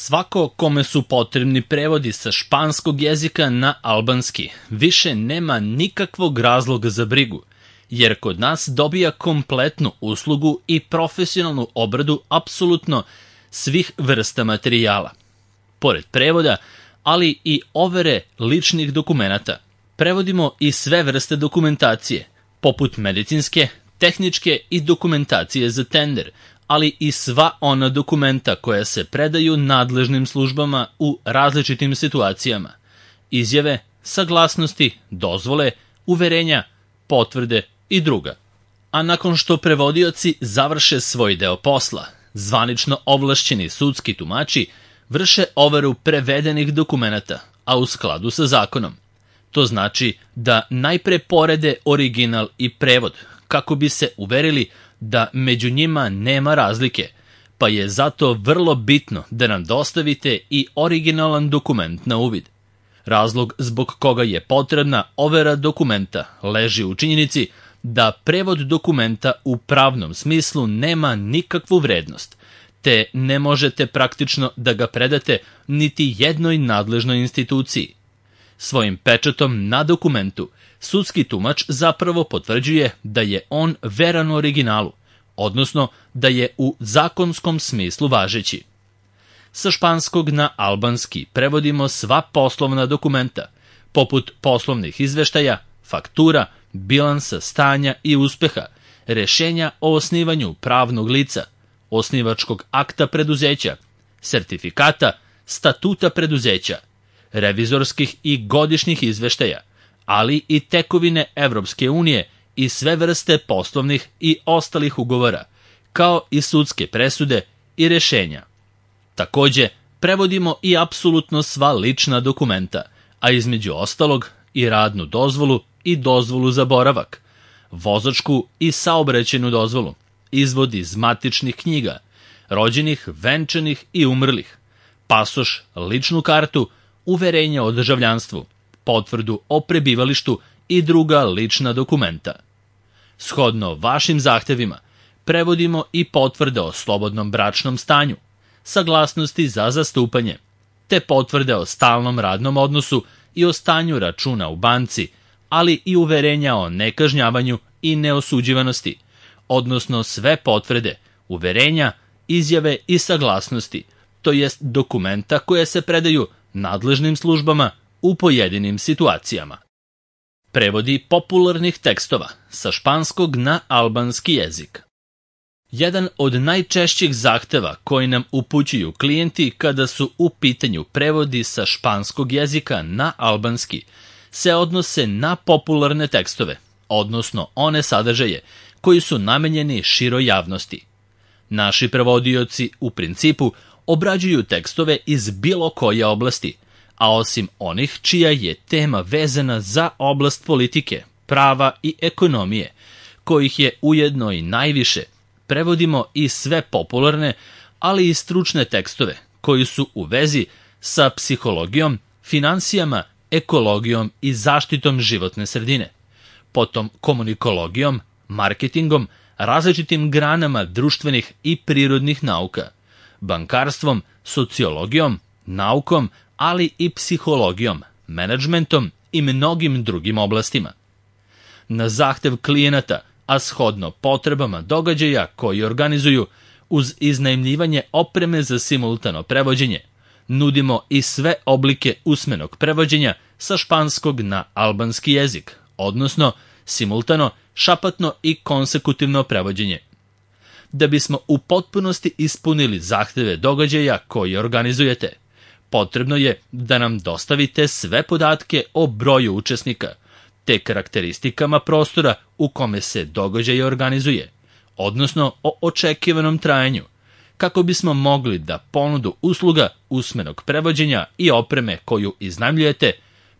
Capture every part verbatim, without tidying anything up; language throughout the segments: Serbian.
Svako kome su potrebni prevodi sa španskog jezika na albanski više nema nikakvog razloga za brigu, jer kod nas dobija kompletnu uslugu i profesionalnu obradu apsolutno svih vrsta materijala. Pored prevoda, ali i overe ličnih dokumenata, prevodimo i sve vrste dokumentacije, poput medicinske, tehničke i dokumentacije za tender, ali i sva ona dokumenta koja se predaju nadležnim službama u različitim situacijama, izjave, saglasnosti, dozvole, uverenja, potvrde i druga. A nakon što prevodioci završe svoj deo posla, zvanično ovlašćeni sudski tumači vrše overu prevedenih dokumenata, a u skladu sa zakonom. To znači da najpre porede original i prevod, kako bi se uverili da među njima nema razlike, pa je zato vrlo bitno da nam dostavite i originalan dokument na uvid. Razlog zbog koga je potrebna overa dokumenta leži u činjenici da prevod dokumenta u pravnom smislu nema nikakvu vrednost, te ne možete praktično da ga predate niti jednoj nadležnoj instituciji. Svojim pečatom na dokumentu sudski tumač zapravo potvrđuje da je on veran originalu, odnosno da je u zakonskom smislu važeći. Sa španskog na albanski prevodimo sva poslovna dokumenta, poput poslovnih izveštaja, faktura, bilansa stanja i uspeha, rešenja o osnivanju pravnog lica, osnivačkog akta preduzeća, sertifikata, statuta preduzeća, revizorskih i godišnjih izveštaja, ali i tekovine Evropske unije i sve vrste poslovnih i ostalih ugovora, kao i sudske presude i rešenja. Takođe, prevodimo i apsolutno sva lična dokumenta, a između ostalog i radnu dozvolu i dozvolu za boravak, vozačku i saobraćajnu dozvolu, izvod iz matičnih knjiga, rođenih, venčanih i umrlih, pasoš, ličnu kartu, uverenje o državljanstvu, potvrdu o prebivalištu i druga lična dokumenta. Shodno vašim zahtevima, prevodimo i potvrde o slobodnom bračnom stanju, saglasnosti za zastupanje, te potvrde o stalnom radnom odnosu i o stanju računa u banci, ali i uverenja o nekažnjavanju i neosuđivanosti, odnosno sve potvrde, uverenja, izjave i saglasnosti, to jest dokumenta koje se predaju nadležnim službama u pojedinim situacijama. Prevodi popularnih tekstova sa španskog na albanski jezik. Jedan od najčešćih zahteva koji nam upućuju klijenti kada su u pitanju prevodi sa španskog jezika na albanski se odnose na popularne tekstove, odnosno one sadržaje koji su namenjeni široj javnosti. Naši prevodioci u principu obrađuju tekstove iz bilo koje oblasti, a osim onih čija je tema vezana za oblast politike, prava i ekonomije, kojih je ujedno i najviše, prevodimo i sve popularne, ali i stručne tekstove koji su u vezi sa psihologijom, finansijama, ekologijom i zaštitom životne sredine, potom komunikologijom, marketingom, različitim granama društvenih i prirodnih nauka, bankarstvom, sociologijom, naukom, ali i psihologijom, menadžmentom i mnogim drugim oblastima. Na zahtev klijenata, a shodno potrebama događaja koji organizuju uz iznajmljivanje opreme za simultano prevođenje, nudimo i sve oblike usmenog prevođenja sa španskog na albanski jezik, odnosno simultano, šapatno i konsekutivno prevođenje. Da bismo u potpunosti ispunili zahteve događaja koji organizujete, potrebno je da nam dostavite sve podatke o broju učesnika, te karakteristikama prostora u kome se događaj organizuje, odnosno o očekivanom trajanju, kako bismo mogli da ponudu usluga usmenog prevođenja i opreme koju iznajmljujete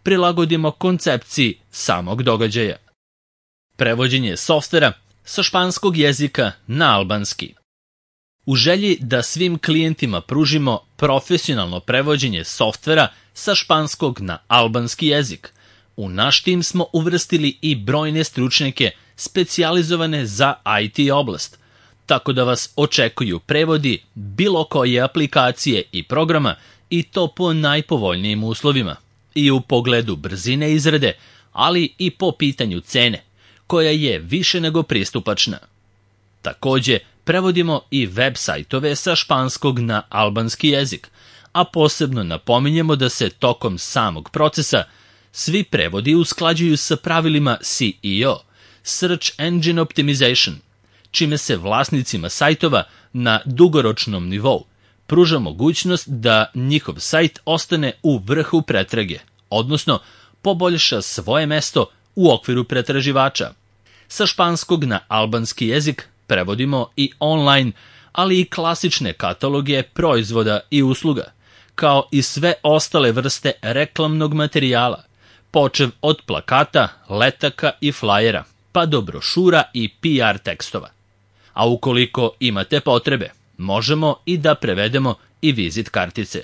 prilagodimo koncepciji samog događaja. Prevođenje softvera sa španskog jezika na albanski. U želji da svim klijentima pružimo profesionalno prevođenje softvera sa španskog na albanski jezik, u naš tim smo uvrstili i brojne stručnjake specijalizovane za I T oblast, tako da vas očekuju prevodi bilo koje aplikacije i programa i to po najpovoljnijim uslovima, i u pogledu brzine izrade, ali i po pitanju cene, koja je više nego pristupačna. Takođe, prevodimo i web sajtove sa španskog na albanski jezik, a posebno napominjemo da se tokom samog procesa svi prevodi usklađuju sa pravilima S E O, Search Engine Optimization, čime se vlasnicima sajtova na dugoročnom nivou pruža mogućnost da njihov sajt ostane u vrhu pretrage, odnosno poboljša svoje mesto u okviru pretraživača. Sa španskog na albanski jezik prevodimo i online, ali i klasične kataloge proizvoda i usluga, kao i sve ostale vrste reklamnog materijala, počev od plakata, letaka i flajera, pa do brošura i P R tekstova. A ukoliko imate potrebe, možemo i da prevedemo i vizit kartice.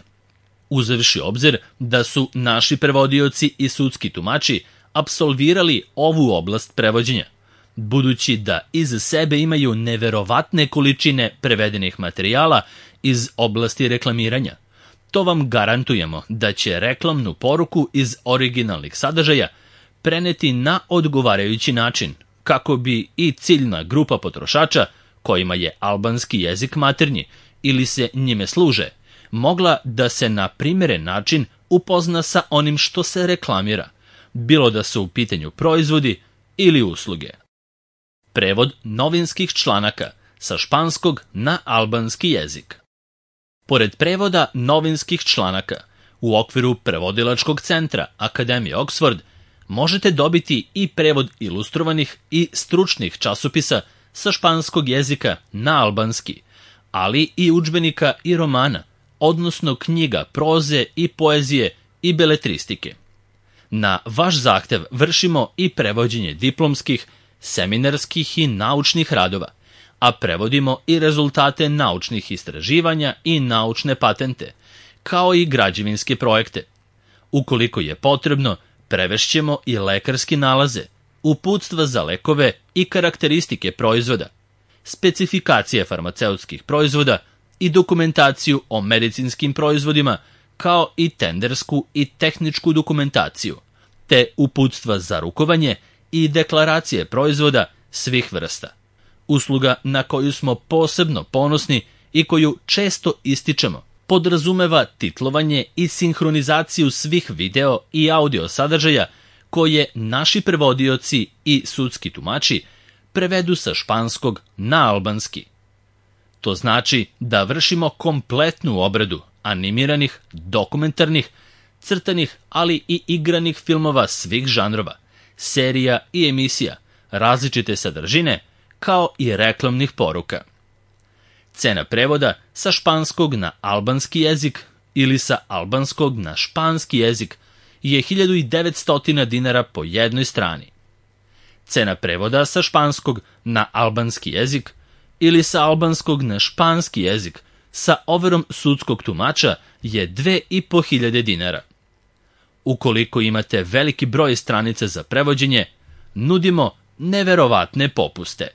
Uzevši obzir da su naši prevodioci i sudski tumači apsolvirali ovu oblast prevođenja, budući da iza sebe imaju neverovatne količine prevedenih materijala iz oblasti reklamiranja, to vam garantujemo da će reklamnu poruku iz originalnih sadržaja preneti na odgovarajući način, kako bi i ciljna grupa potrošača, kojima je albanski jezik maternji ili se njime služe, mogla da se na primjeren način upozna sa onim što se reklamira, bilo da su u pitanju proizvodi ili usluge. Prevod novinskih članaka sa španskog na albanski jezik. Pored prevoda novinskih članaka, u okviru prevodilačkog centra Akademije Oxford možete dobiti i prevod ilustrovanih i stručnih časopisa sa španskog jezika na albanski, ali i udžbenika i romana, odnosno knjiga proze i poezije i beletristike. Na vaš zahtev vršimo i prevođenje diplomskih, seminarskih i naučnih radova, a prevodimo i rezultate naučnih istraživanja i naučne patente, kao i građevinske projekte. Ukoliko je potrebno, prevešćemo i lekarski nalaze, uputstva za lekove i karakteristike proizvoda, specifikacije farmaceutskih proizvoda i dokumentaciju o medicinskim proizvodima, kao i tendersku i tehničku dokumentaciju, te uputstva za rukovanje i deklaracije proizvoda svih vrsta. Usluga na koju smo posebno ponosni i koju često ističemo podrazumeva titlovanje i sinhronizaciju svih video i audio sadržaja koje naši prevodioci i sudski tumači prevedu sa španskog na albanski. To znači da vršimo kompletnu obradu animiranih, dokumentarnih, crtanih, ali i igranih filmova svih žanrova, serija i emisija, različite sadržine, kao i reklamnih poruka. Cena prevoda sa španskog na albanski jezik ili sa albanskog na španski jezik je hiljadu devetsto dinara po jednoj strani. Cena prevoda sa španskog na albanski jezik ili sa albanskog na španski jezik sa overom sudskog tumača je dve i po hiljade dinara. Ukoliko imate veliki broj stranica za prevođenje, nudimo neverovatne popuste.